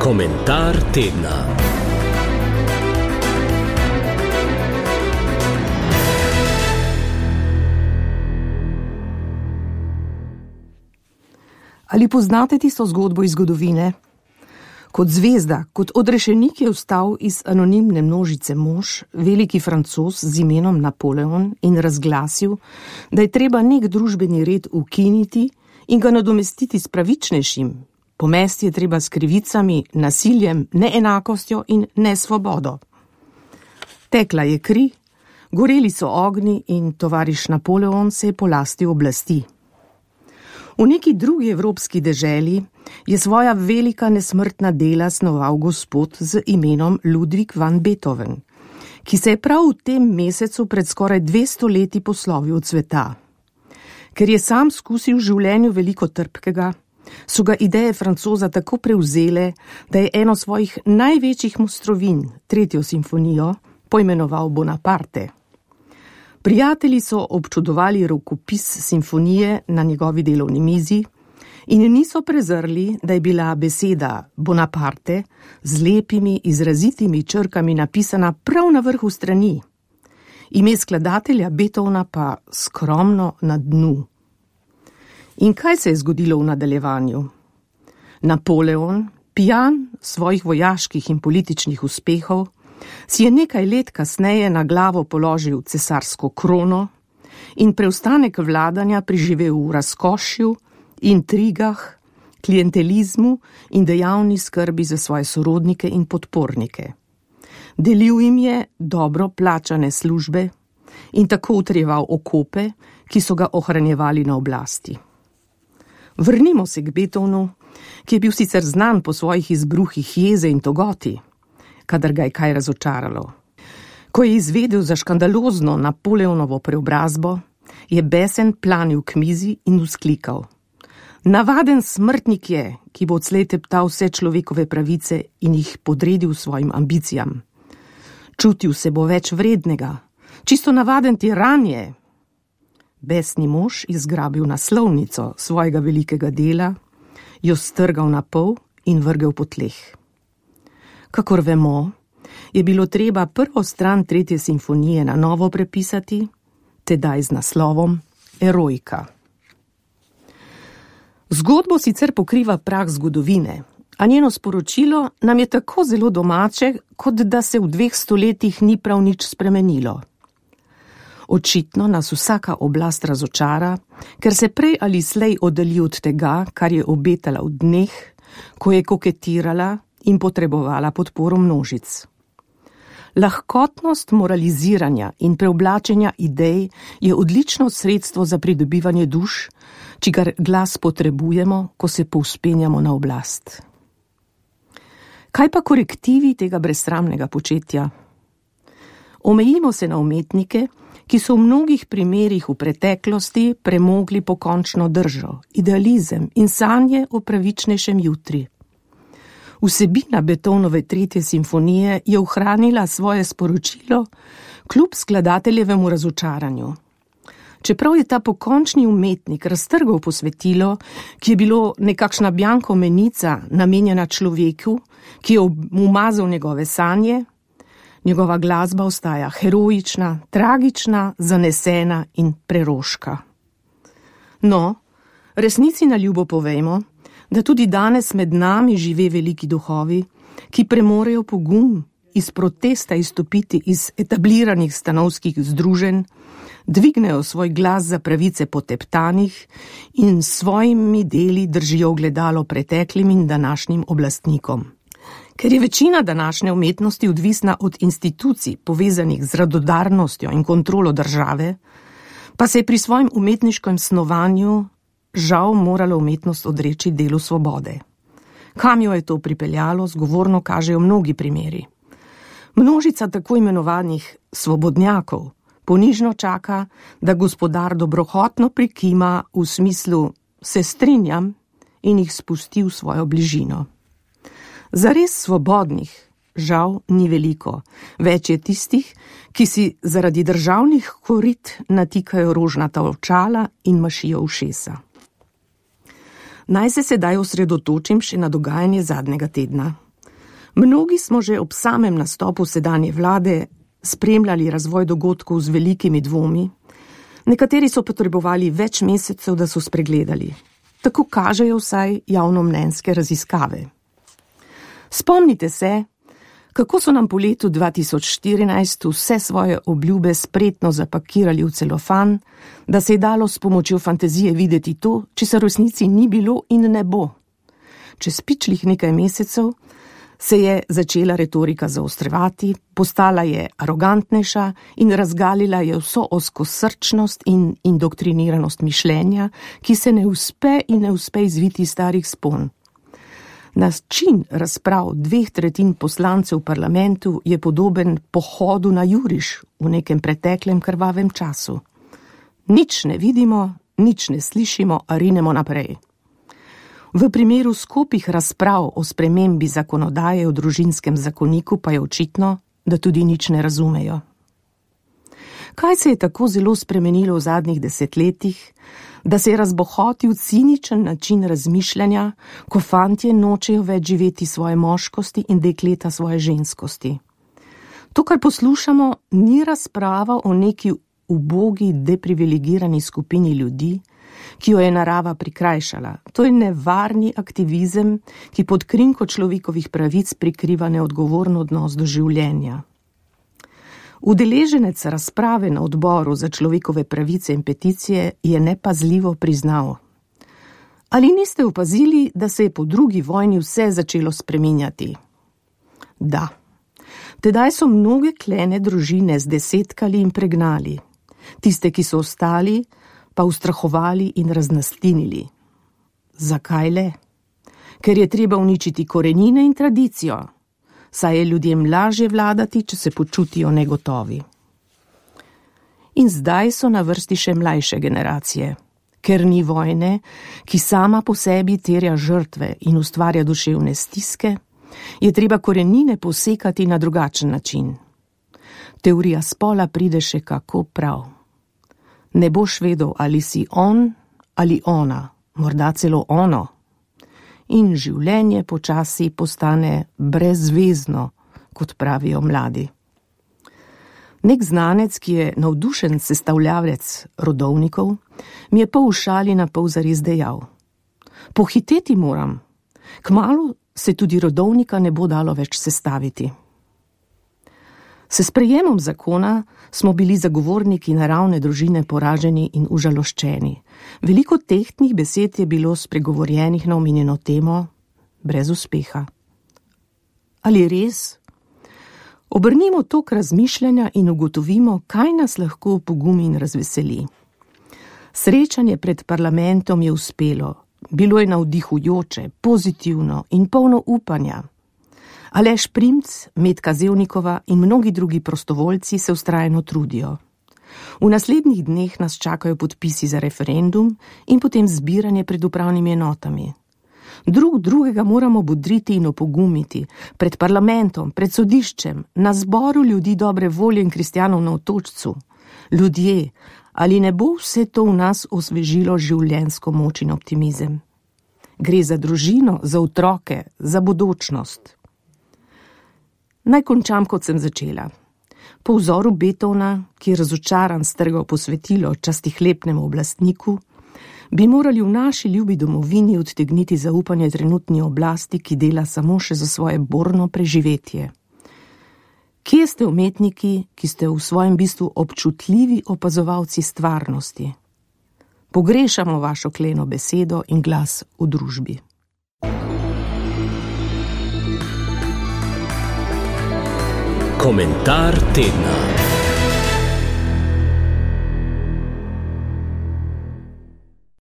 Komentar tedna. Ali poznate tisto zgodbo iz zgodovine? Kot zvezda, kot odrešenik je vstal iz anonimne množice mož, veliki Francoz z imenom Napoleon in razglasil, da je treba nek družbeni red ukiniti in ga nadomestiti s pravičnejšim. Pomesti je treba s krivicami, nasiljem, neenakostjo in nesvobodo. Tekla je kri, goreli so ognji in tovariš Napoleon se je polastil oblasti. V neki drugi evropski deželi je svoja velika nesmrtna dela snoval gospod z imenom Ludwig van Beethoven, ki se je prav v tem mesecu pred skoraj 200 leti poslovil od sveta. Ker je sam skusil v življenju veliko trpkega, so ga ideje Francoza tako prevzele, da je eno svojih največjih mojstrovin, 3. simfonijo, poimenoval Bonaparte. Prijatelji so občudovali rokopis simfonije na njegovi delovni mizi in niso prezrli, da je bila beseda Bonaparte z lepimi, izrazitimi črkami napisana prav na vrhu strani, ime skladatelja Beethovna pa skromno na dnu. In kaj se je zgodilo v nadaljevanju? Napoleon, pijan svojih vojaških in političnih uspehov, si je nekaj let kasneje na glavo položil cesarsko krono in preostanek vladanja preživel v razkošju, intrigah, klientelizmu in dejavni skrbi za svoje sorodnike in podpornike. Delil jim je dobro plačane službe in tako utrjeval okope, ki so ga ohranjevali na oblasti. Vrnimo se k Beethovnu, ki je bil sicer znan po svojih izbruhih jeze in togoti, kadar ga je kaj razočaralo. Ko je izvedel za škandalozno Napoleonovo preobrazbo, je besen planil k mizi in vzklikal: Navaden smrtnik je, ki bo odslej teptal vse človekove pravice in jih podredil svojim ambicijam. Čutil se bo več vrednega, čisto navaden tiran je. Besni mož je zgrabil naslovnico svojega velikega dela, jo strgal na pol in vrgel po tleh. Kakor vemo, je bilo treba prvo stran 3. simfonije na novo prepisati, tedaj z naslovom Eroika. Zgodbo sicer pokriva prah zgodovine, a njeno sporočilo nam je tako zelo domače, kot da se v 2 stoletjih ni prav nič spremenilo. Očitno nas vsaka oblast razočara, ker se prej ali slej oddalji od tega, kar je obetala v dneh, ko je koketirala in potrebovala podporo množic. Lahkotnost moraliziranja in preoblačenja idej je odlično sredstvo za pridobivanje duš, čigar glas potrebujemo, ko se povzpenjamo na oblast. Kaj pa korektivi tega brezsramnega početja? Omejimo se na umetnike, ki so v mnogih primerih v preteklosti premogli pokončno držo, idealizem in sanje o pravičnejšem jutri. Vsebina Beethovenove 3. simfonije je ohranila svoje sporočilo kljub skladateljevemu razočaranju. Čeprav je ta pokončni umetnik raztrgal posvetilo, ki je bilo nekakšna bjanko menica namenjena človeku, ki je umazal njegove sanje, njegova glasba ostaja heroična, tragična, zanesena in preroška. No, resnici na ljubo povejmo, da tudi danes med nami žive veliki duhovi, ki premorejo pogum iz protesta izstopiti iz etabliranih stanovskih združenj, dvignejo svoj glas za pravice poteptanih in s svojimi deli držijo ogledalo preteklim in današnjim oblastnikom. Ker je večina današnje umetnosti odvisna od institucij povezanih z radodarnostjo in kontrolo države, pa se je pri svojem umetniškem snovanju žal morala umetnost odreči delu svobode. Kam jo je to pripeljalo, zgovorno kažejo mnogi primeri. Množica tako imenovanih svobodnjakov ponižno čaka, da gospodar dobrohotno prikima v smislu se strinjam in jih spusti v svojo bližino. Zares svobodnih, žal, ni veliko. Več je tistih, ki si zaradi državnih korit natikajo rožnata očala in mašijo ušesa. Naj se sedaj osredotočim še na dogajanje zadnjega tedna. Mnogi smo že ob samem nastopu sedanje vlade spremljali razvoj dogodkov z velikimi dvomi, nekateri so potrebovali več mesecev, da so spregledali. Tako kažejo vsaj javnomnenjske raziskave. Spomnite se, kako so nam po letu 2014 vse svoje obljube spretno zapakirali v celofan, da se je dalo s pomočjo fantazije videti to, česar v resnici ni bilo in ne bo. Čez pičlih nekaj mesecev se je začela retorika zaostrevati, postala je arogantnejša in razgalila je vso ozkosrčnost in indoktriniranost mišljenja, ki se ne uspe izviti starih spon. Način razprav 2/3 poslancev v parlamentu je podoben pohodu na juriš v nekem preteklem krvavem času. Nič ne vidimo, nič ne slišimo, a rinemo naprej. V primeru skupih razprav o spremembi zakonodaje o družinskem zakoniku pa je očitno, da tudi nič ne razumejo. Kaj se je tako zelo spremenilo v zadnjih desetletjih, da se je razbohotil ciničen način razmišljanja, ko fantje nočejo več živeti svoje moškosti in dekleta svoje ženskosti? To, kar poslušamo, ni razprava o neki ubogi, deprivilegirani skupini ljudi, ki jo je narava prikrajšala. To je nevarni aktivizem, ki pod krinko človekovih pravic prikriva neodgovoren odnos do življenja. Udeleženec razprave na odboru za človekove pravice in peticije je nepazljivo priznal: ali niste opazili, da se je po drugi vojni vse začelo spreminjati? Da. Tedaj so mnoge klene družine zdesetkali in pregnali. Tiste, ki so ostali, pa ustrahovali in raznastinili. Zakaj le? Ker je treba uničiti korenine in tradicijo, saj je ljudem lažje vladati, če se počutijo negotovi. In zdaj so na vrsti še mlajše generacije. Ker ni vojne, ki sama po sebi terja žrtve in ustvarja duševne stiske, je treba korenine posekati na drugačen način. Teorija spola pride še kako prav. Ne boš vedel, ali si on ali ona, morda celo ono. In življenje počasi postane brezvezno, kot pravijo mladi. Nek znanec, ki je navdušen sestavljavec rodovnikov, mi je pol v šali na pol zares dejal: pohiteti moram, kmalu se tudi rodovnika ne bo dalo več sestaviti. S sprejemom zakona smo bili zagovorniki naravne družine poraženi in užaloščeni. Veliko tehtnih besed je bilo spregovorjenih na omenjeno temo, brez uspeha. Ali res? Obrnimo tok razmišljanja in ugotovimo, kaj nas lahko opogumi in razveseli. Srečanje pred parlamentom je uspelo, bilo je navdihujoče, pozitivno in polno upanja. Aleš Primc, Metka Zevnikova in mnogi drugi prostovoljci se vztrajno trudijo. V naslednjih dneh nas čakajo podpisi za referendum in potem zbiranje pred upravnimi enotami. Drugega moramo bodriti in opogumiti, pred parlamentom, pred sodiščem, na zboru ljudi dobre volje in kristjanov na otočcu. Ljudje, ali ne bo vse to v nas osvežilo življenjsko moč in optimizem? Gre za družino, za otroke, za bodočnost. Naj končam, kot sem začela. Po vzoru Beethovna, ki je razočaran strgal posvetilo častihlepnemu oblastniku, bi morali v naši ljubi domovini odtegniti zaupanje trenutni oblasti, ki dela samo še za svoje borno preživetje. Kje ste umetniki, ki ste v svojem bistvu občutljivi opazovalci stvarnosti? Pogrešamo vašo kleno besedo in glas v družbi. Komentar tedna.